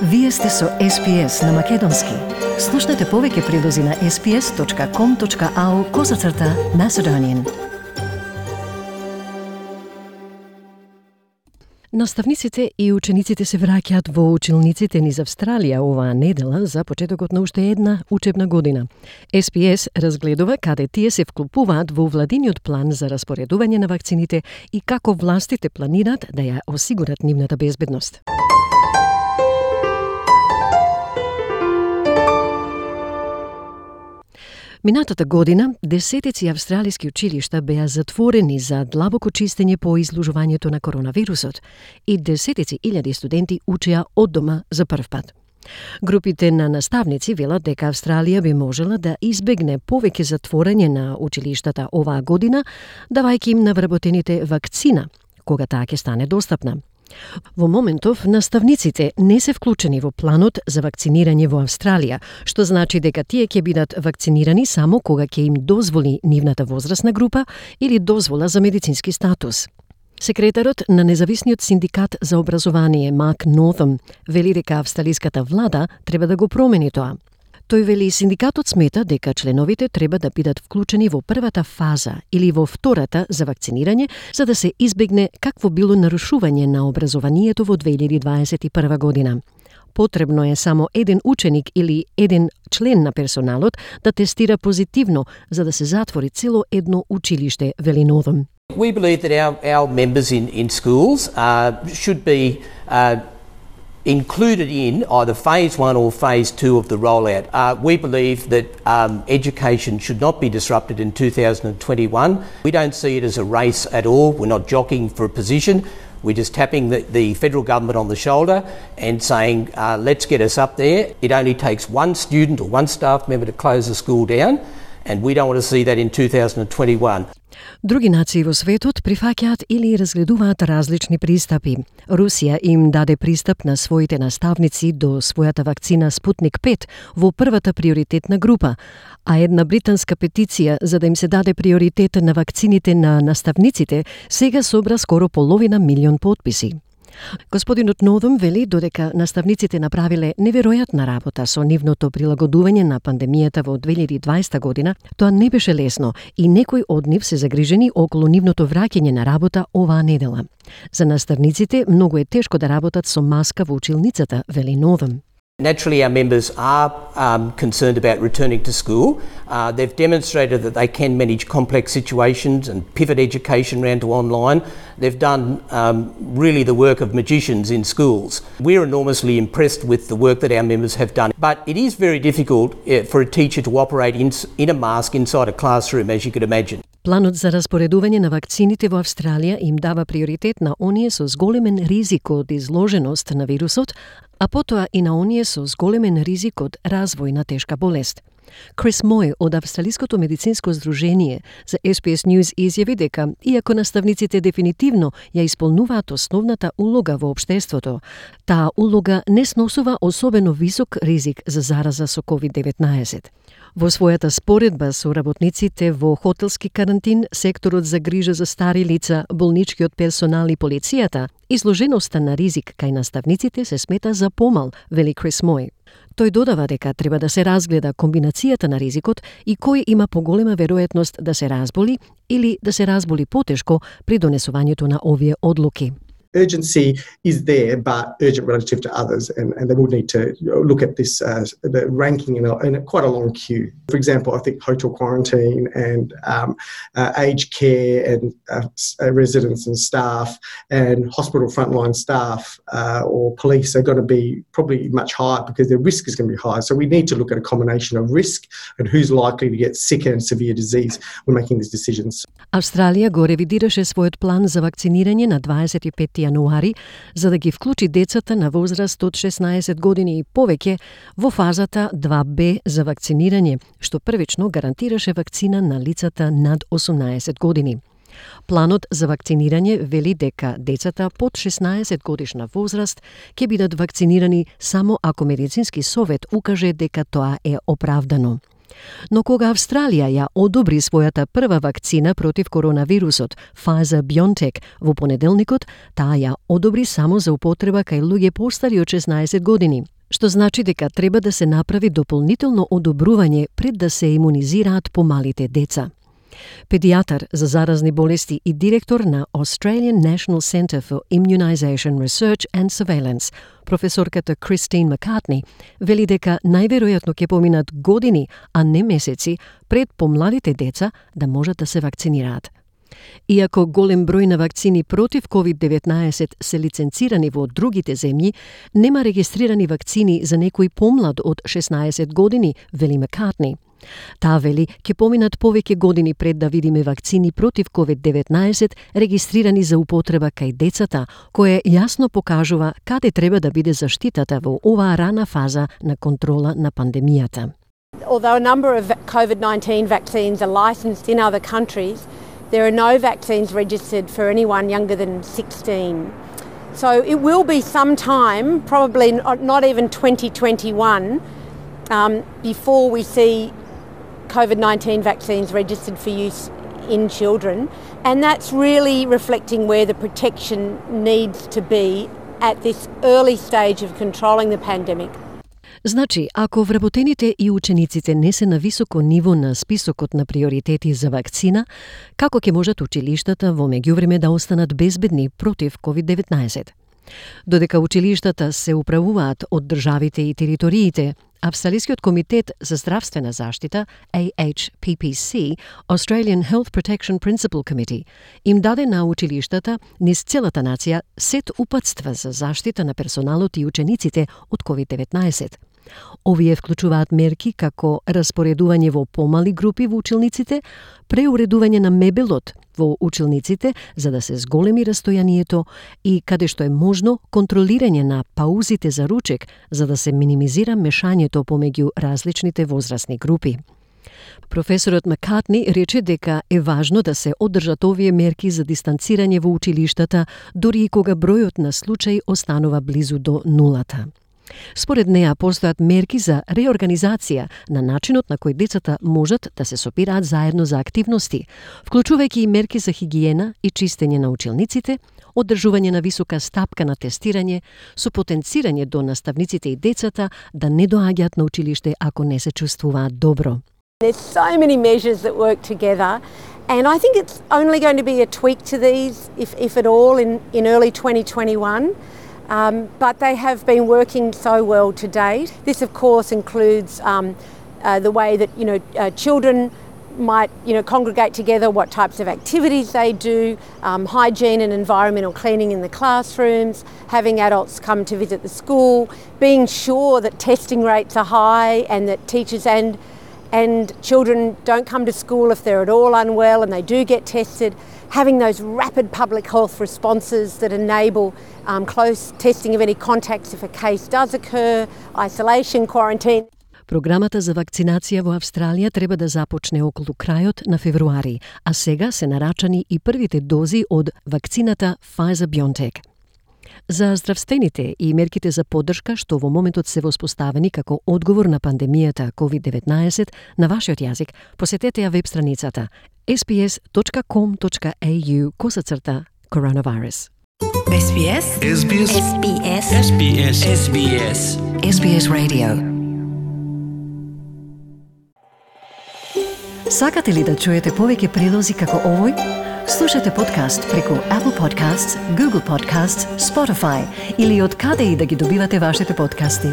Вие сте со SPS на Македонски. Слушнете повеќе прилози на sps.com.au/Macedonian. Наставниците и учениците се враќаат во училниците низ Австралија оваа недела за почетокот на уште една учебна година. SPS разгледува каде тие се вклопуваат во владиниот план за распоредување на вакцините и како властите планираат да ја осигурат нивната безбедност. Минатата година, десетици австралиски училишта беа затворени за длабоко чистење по изложувањето на коронавирусот и десетици илјади студенти учеа од дома за прв пат. Групите на наставници велат дека Австралија би можела да избегне повеќе затворање на училиштата оваа година, давајќи им на вработените вакцина, кога таа ќе стане достапна. Во моментов, наставниците не се вклучени во планот за вакцинирање во Австралија, што значи дека тие ќе бидат вакцинирани само кога ќе им дозволи нивната возрастна група или дозвола за медицински статус. Секретарот на независниот синдикат за образование Марk Northam вели дека австралиската влада треба да го промени тоа. Тој вели синдикатот смета дека членовите треба да бидат вклучени во првата фаза или во втората за вакцинирање, за да се избегне какво било нарушување на образованието во 2021 година. Потребно е само еден ученик или еден член на персоналот да тестира позитивно, за да се затвори цело едно училиште, вели Northam. We believe that our members in schools should be included in either phase 1 or phase 2 of the rollout. We believe that education should not be disrupted in 2021. We don't see it as a race at all. We're not jockeying for a position. We're just tapping the federal government on the shoulder and saying, let's get us up there. It only takes one student or one staff member to close the school down, and we don't want to see that in 2021. Други нации во светот прифаќаат или разгледуваат различни пристапи. Русија им даде пристап на своите наставници до својата вакцина Спутник 5 во првата приоритетна група, а една британска петиција за да им се даде приоритет на вакцините на наставниците сега собра скоро половина милион потписи. Господинот Northam вели додека наставниците направиле неверојатна работа со нивното прилагодување на пандемијата во 2020 година, тоа не беше лесно и некои од нив се загрижени околу нивното враќање на работа оваа недела. За наставниците многу е тешко да работат со маска во училницата, вели Northam. Naturally, our members are concerned about returning to school. They've demonstrated that they can manage complex situations and pivot education around to online. They've done really the work of magicians in schools. We're enormously impressed with the work that our members have done. But it is very difficult for a teacher to operate in a mask inside a classroom, as you could imagine. Планот за распоредување на вакцините во Австралија им дава приоритет на оние со зголемен ризик од изложеност на вирусот, а потоа и на оние со зголемен ризик од развој на тешка болест. Крис Мој од Австралиското медицинско здружение за SPS News изјави дека, иако наставниците дефинитивно ја исполнуваат основната улога во општеството, таа улога не сносува особено висок ризик за зараза со COVID-19. Во својата споредба со работниците во хотелски карантин, секторот за грижа за стари лица, болничкиот персонал и полицијата, изложеноста на ризик кај наставниците се смета за помал, вели Крис Мој. Тој додава дека треба да се разгледа комбинацијата на ризикот и кој има поголема веројатност да се разболи или да се разболи потешко при донесувањето на овие одлуки. Urgency is there, but urgent relative to others, and they will need to look at this the ranking in quite a long queue. For example, I think hotel quarantine and aged care and residents and staff and hospital frontline staff or police are going to be probably much higher because their risk is going to be higher. So we need to look at a combination of risk and who's likely to get sick and severe disease when making these decisions. Австралија го ревидираше својот план за вакцинирање на 25 јануари, за да ги вклучи децата на возраст од 16 години и повеќе во фазата 2Б за вакцинирање, што првично гарантираше вакцина на лицата над 18 години. Планот за вакцинирање вели дека децата под 16 годишна возраст ќе бидат вакцинирани само ако медицински совет укаже дека тоа е оправдано. Но кога Австралија ја одобри својата прва вакцина против коронавирусот, Pfizer-BioNTech, во понеделникот, таа ја одобри само за употреба кај луѓе постари од 16 години, што значи дека треба да се направи дополнително одобрување пред да се имунизираат помалите деца. Педијатар за заразни болести и директор на Australian National Centre for Immunisation Research and Surveillance, професорката Кристин Маккартни, вели дека најверојатно ќе поминат години, а не месеци, пред помладите деца да можат да се вакцинираат. Иако голем број на вакцини против COVID-19 се лиценцирани во другите земји, нема регистрирани вакцини за некој помлад од 16 години, вели Маккартни. Таа вели, ќе поминат повеќе години пред да видиме вакцини против COVID-19 регистрирани за употреба кај децата, кое јасно покажува каде треба да биде заштитата во оваа рана фаза на контрола на пандемијата. Although a number of COVID-19 vaccines are licensed in other countries, there are no vaccines registered for anyone younger than 16. So it will be some time, probably not even 2021, before we see COVID-19 vaccines registered for use in children, and that's really reflecting where the protection needs to be at this early stage of controlling the pandemic. Значи, ако вработените и учениците не се на високо ниво на списокот на приоритети за вакцина, како ќе можат училиштата во меѓувреме да останат безбедни против COVID-19? Додека училиштата се управуваат од државите и териториите, Австралискиот комитет за здравствена заштита, AHPPC, Australian Health Protection Principal Committee, им даде на училиштата низ целата нација сет упатства за заштита на персоналот и учениците од COVID-19. Овие вклучуваат мерки како распоредување во помали групи во училниците, преуредување на мебелот во училниците за да се зголеми растојанието и, каде што е можно, контролирање на паузите за ручек за да се минимизира мешањето помеѓу различните возрастни групи. Професорот Маккартни рече дека е важно да се одржат овие мерки за дистанцирање во училиштата, дури и кога бројот на случаи останува близу до нулата. Според неа постојат мерки за реорганизација на начинот на кој децата можат да се сопираат заедно за активности, вклучувајќи и мерки за хигиена и чистење на училниците, одржување на висока стапка на тестирање, со потенцирање до наставниците и децата да не доаѓаат на училиште ако не се чувствуваат добро. There's so many measures that work together, and I think it's only going to be a tweak to these, if at all, in early 2021. But they have been working so well to date. This, of course, includes the way that children might congregate together, what types of activities they do, hygiene and environmental cleaning in the classrooms, having adults come to visit the school, being sure that testing rates are high and that teachers and children don't come to school if they're at all unwell and they do get tested, having those rapid public health responses that enable close testing of any contacts if a case does occur, isolation, quarantine. Програмата за вакцинација во Австралија треба да започне околу крајот на февруари, а сега се нарачани и првите дози од вакцината Pfizer-BioNTech. За здравствените и мерките за поддршка што во моментот се воспоставени како одговор на пандемијата COVID-19 на вашиот јазик, посетете ја веб страницата sbs.com.au/coronavirus. SBS SBS SBS SBS SBS SBS Radio. Сакате ли да чуете повеќе прилози како овој? Слушате подкаст преку Apple Podcasts, Google Podcasts, Spotify или од каде и да ги добивате вашите подкасти.